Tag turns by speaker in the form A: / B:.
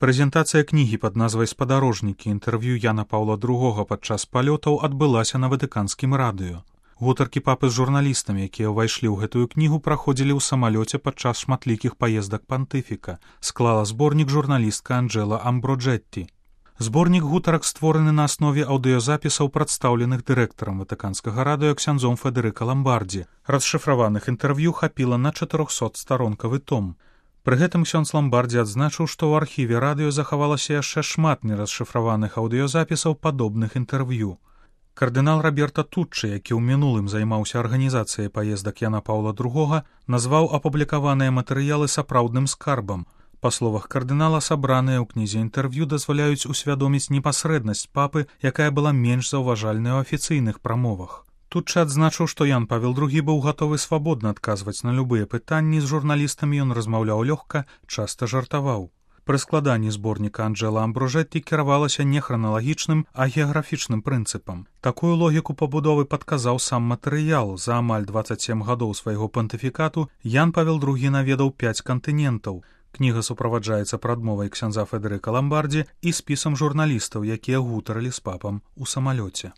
A: Прэзентацыя кнігі пад назвай «Спадарожнікі. Інтэрв'ю Яна Паўла II падчас палётаў» адбылася на ватыканскім радыё. Гутаркі папы з журналістамі, якія ўвайшлі ў гэтую кнігу, праходзілі ў самалёце падчас шматлікіх паездак пантыфіка, склала зборнік журналістка Анджэла Амброджэтті. Зборнік гутарак створаны на аснове аўдыёзапісаў, прадстаўленых дырэктарам ватыканскага радыё ксяндзом Федэрыка Ламбардзі. Расшыфраваных інтэрв'ю хапіла на 400-старонкавы том. Пры гэтым ксёндз Ламбардзі адзначыў, што ў архіве радыё захавалася яшчэ шмат нерасшыфраваных аўдыёзапісаў падобных інтэрв'ю. Кардынал Роберта Туччы, які ў мінулым займаўся арганізацыяй паездак Яна Паўла II, назваў апублікаваныя матэрыялы сапраўдным скарбам. Па словах кардынала, сабраныя ў кнізе інтэрв'ю дазваляюць усвядоміць непасрэднасць папы, якая была менш заўважальная ў афіцыйных прамовах. Туччы адзначыў, што Ян Павел II быў гатовы свабодна адказваць на любыя пытанні, з журналістамі ён размаўляў лёгка, часта жартаваў. Пры складанні зборніка Анджэла Амброджэтті кіравалася не храналагічным, а геаграфічным прынцыпам. Такую логіку пабудовы падказаў сам матэрыял. За амаль 27 гадоў свайго пантыфікату Ян Павел II наведаў 5 кантынентаў. Кніга суправаджаецца прадмовай ксяндза Федэрыка Ламбардзі і спісам журналістаў, якія гутарылі з папам у самалёце.